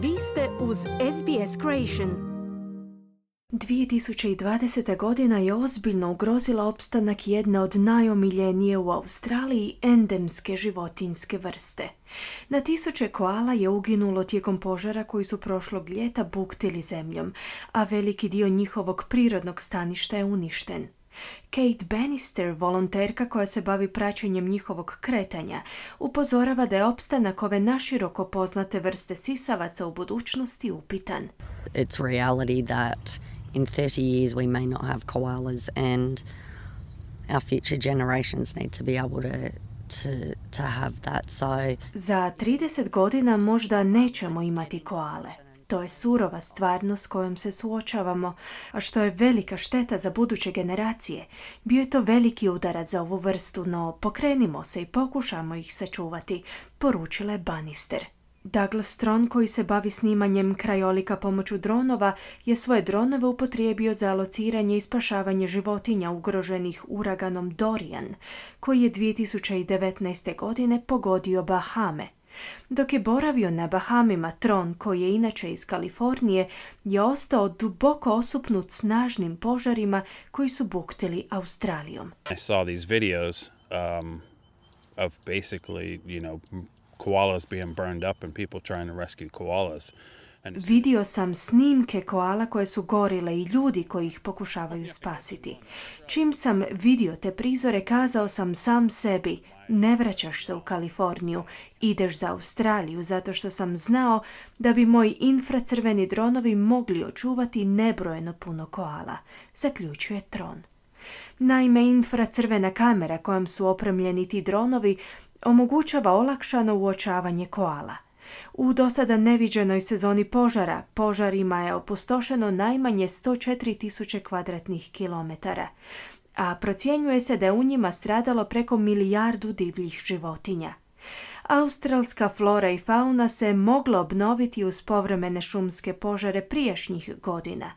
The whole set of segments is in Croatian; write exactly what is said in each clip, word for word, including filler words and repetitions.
Vi ste uz S B S Creation. dvije tisuće dvadeseta godina je ozbiljno ugrozila opstanak jedne od najomiljenije u Australiji endemske životinjske vrste. Na tisuće koala je uginulo tijekom požara koji su prošlog ljeta buktili zemljom, a veliki dio njihovog prirodnog staništa je uništen. Kate Bannister, volonterka koja se bavi praćenjem njihovog kretanja, upozorava da je opstanak ove naširoko poznate vrste sisavaca u budućnosti upitan. It's reality that in thirty years we may not have koalas and our future generations need to be able to to to have that. So Za trideset godina možda nećemo imati koale. To je surova stvarnost s kojom se suočavamo, a što je velika šteta za buduće generacije. Bio je to veliki udarac za ovu vrstu, no pokrenimo se i pokušamo ih sačuvati, poručila je Bannister. Douglas Strong, koji se bavi snimanjem krajolika pomoću dronova, je svoje dronove upotrijebio za lociranje i spašavanje životinja ugroženih uraganom Dorian, koji je dvije tisuće devetnaeste. godine pogodio Bahame. Dok je boravio na Bahamima, Tron, koji je inače iz Kalifornije, je ostao duboko osupnut snažnim požarima koji su buktili Australijom. I saw these videos um, of basically, you know, koalas being burned up and people trying to rescue koalas. Vidio sam snimke koala koje su gorile i ljudi koji ih pokušavaju spasiti. Čim sam vidio te prizore, kazao sam sam sebi, ne vraćaš se u Kaliforniju, ideš za Australiju, zato što sam znao da bi moji infracrveni dronovi mogli očuvati nebrojeno puno koala, zaključuje Tron. Naime, infracrvena kamera kojom su opremljeni ti dronovi omogućava olakšano uočavanje koala. U dosada neviđenoj sezoni požara, požarima je opustošeno najmanje sto četiri tisuće kvadratnih kilometara, a procjenjuje se da je u njima stradalo preko milijardu divljih životinja. Australska flora i fauna se mogla obnoviti uz povremene šumske požare prijašnjih godina.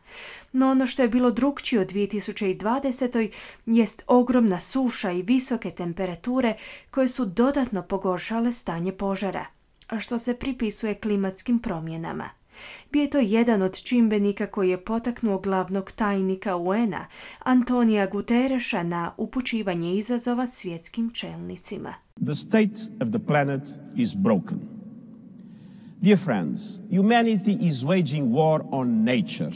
No ono što je bilo drukčije u dvije tisuće dvadesetoj. jest ogromna suša i visoke temperature koje su dodatno pogoršale stanje požara, a što se pripisuje klimatskim promjenama. Bio je to jedan od čimbenika koji je potaknuo glavnog tajnika U N-a, Antonija Guterreša, na upućivanje izazova svjetskim čelnicima. The state of the planet is broken. Dear friends, humanity is waging war on nature.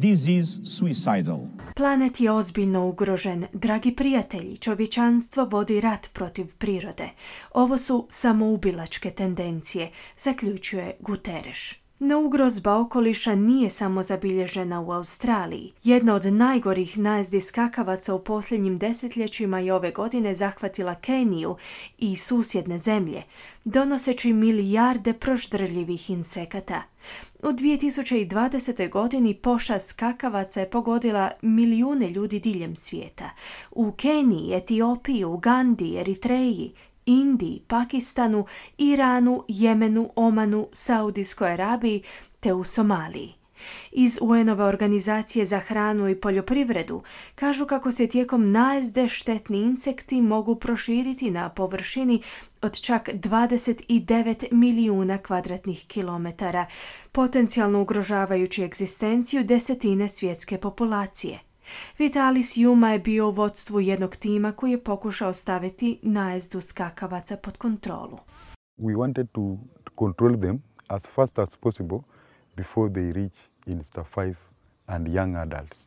This is suicidal. Planet je ozbiljno ugrožen. Dragi prijatelji, čovječanstvo vodi rat protiv prirode. Ovo su samoubilačke tendencije, zaključuje Guterres. No ugrozba okoliša nije samo zabilježena u Australiji. Jedna od najgorih najezdi skakavaca u posljednjim desetljećima je ove godine zahvatila Keniju i susjedne zemlje, donoseći milijarde proždrljivih insekata. U dvije tisuće dvadesetoj. godini pošast skakavaca je pogodila milijune ljudi diljem svijeta. U Keniji, Etiopiji, Ugandi, Eritreji, Indiji, Pakistanu, Iranu, Jemenu, Omanu, Saudijskoj Arabiji te u Somaliji. Iz U N-ove organizacije za hranu i poljoprivredu kažu kako se tijekom najezde štetni insekti mogu proširiti na površini od čak dvadeset devet milijuna kvadratnih kilometara, potencijalno ugrožavajući egzistenciju desetine svjetske populacije. Vitalis Juma je bio u vodstvu jednog tima koji je pokušao staviti najezdu skakavaca pod kontrolu. We wanted to, to control them as fast as possible before they reach insta five and young adults.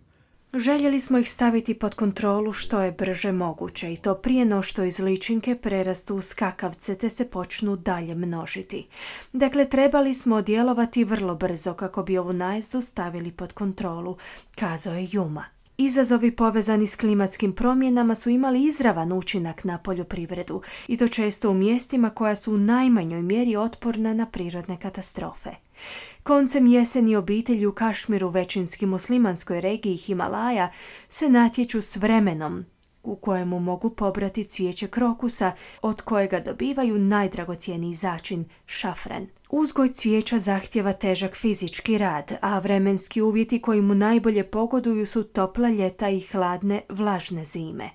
Željeli smo ih staviti pod kontrolu što je brže moguće i to prije no što iz ličinke prerastu u skakavce te se počnu dalje množiti. Dakle, trebali smo djelovati vrlo brzo kako bi ovu najezdu stavili pod kontrolu, kazao je Juma. Izazovi povezani s klimatskim promjenama su imali izravan učinak na poljoprivredu i to često u mjestima koja su u najmanjoj mjeri otporna na prirodne katastrofe. Koncem jeseni obitelji u Kašmiru, većinski muslimanskoj regiji Himalaja, se natječu s vremenom u kojemu mogu pobrati cvijeće krokusa od kojega dobivaju najdragocjeniji začin, šafran. Uzgoj cvijeća zahtjeva težak fizički rad, a vremenski uvjeti koji mu najbolje pogoduju su topla ljeta i hladne, vlažne zime,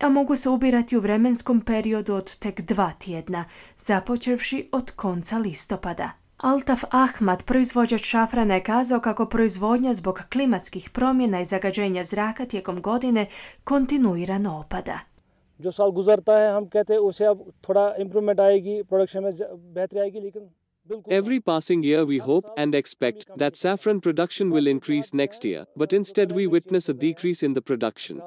a mogu se ubirati u vremenskom periodu od tek dva tjedna, započevši od konca listopada. Altaf Ahmad, proizvođač šafrana, je kazao kako proizvodnja zbog klimatskih promjena i zagađenja zraka tijekom godine kontinuirano opada. जो साल गुजरता है हम कहते हैं उससे अब थोड़ा इम्प्रूवमेंट आएगी प्रोडक्शन में बेहतरी आएगी लेकिन Every passing year we hope and expect that saffron production will increase next year, but instead we witness a decrease in the production.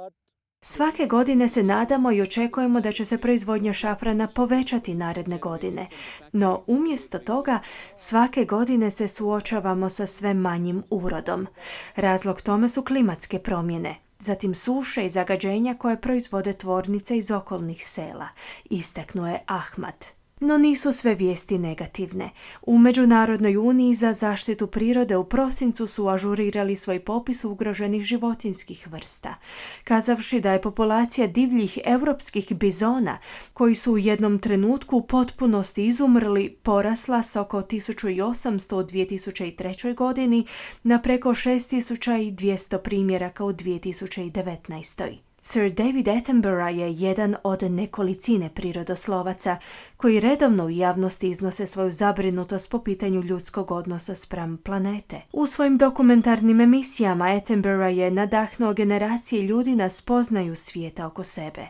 Svake godine se nadamo i očekujemo da će se proizvodnja šafrana povećati naredne godine, no umjesto toga svake godine se suočavamo sa sve manjim urodom. Razlog tome su klimatske promjene, zatim suše i zagađenja koje proizvode tvornice iz okolnih sela, istaknuo je Ahmad. No nisu sve vijesti negativne. U Međunarodnoj uniji za zaštitu prirode u prosincu su ažurirali svoj popis ugroženih životinjskih vrsta, kazavši da je populacija divljih europskih bizona, koji su u jednom trenutku u potpunosti izumrli, porasla s oko tisuću osamsto u dvije tisuće trećoj godini na preko šest tisuća dvjesto primjeraka u dvije tisuće devetnaestoj. Sir David Attenborough je jedan od nekolicine prirodoslovaca koji redovno u javnosti iznose svoju zabrinutost po pitanju ljudskog odnosa spram planete. U svojim dokumentarnim emisijama Attenborough je nadahnuo generacije ljudi na spoznaju svijeta oko sebe.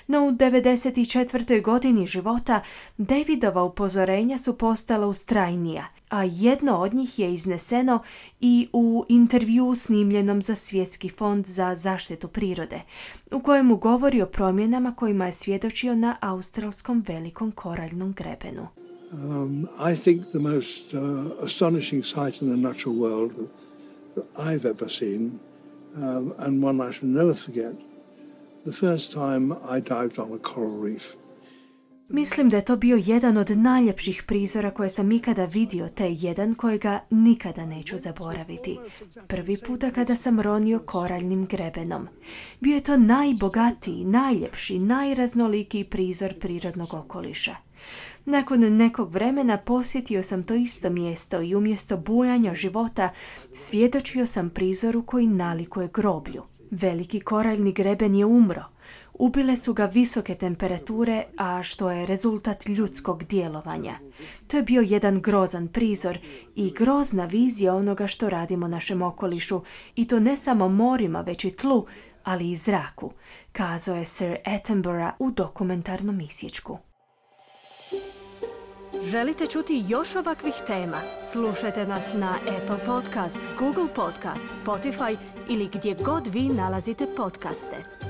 No u devedeset četvrtoj godini života Davidova upozorenja su postala ustrajnija, a jedno od njih je izneseno i u intervjuu snimljenom za Svjetski fond za zaštitu prirode, u kojemu govori o promjenama kojima je svjedočio na australskom velikom koraljnom grebenu. Um, I think the most uh, astonishing sight in the natural world that I've ever seen, um, and one I shall never forget, the first time I dived on a coral reef. Mislim da je to bio jedan od najljepših prizora koje sam ikada vidio, te jedan kojega nikada neću zaboraviti. Prvi puta kada sam ronio koraljnim grebenom. Bio je to najbogatiji, najljepši, najraznolikiji prizor prirodnog okoliša. Nakon nekog vremena posjetio sam to isto mjesto i umjesto bujanja života svjedočio sam prizoru koji nalikuje groblju. Veliki koraljni greben je umro. Ubile su ga visoke temperature, a što je rezultat ljudskog djelovanja. To je bio jedan grozan prizor i grozna vizija onoga što radimo našem okolišu, i to ne samo morima, već i tlu, ali i zraku, kazao je Sir Attenborough u dokumentarnom isječku. Želite čuti još ovakvih tema? Slušajte nas na Apple Podcast, Google Podcast, Spotify ili gdje god vi nalazite podcaste.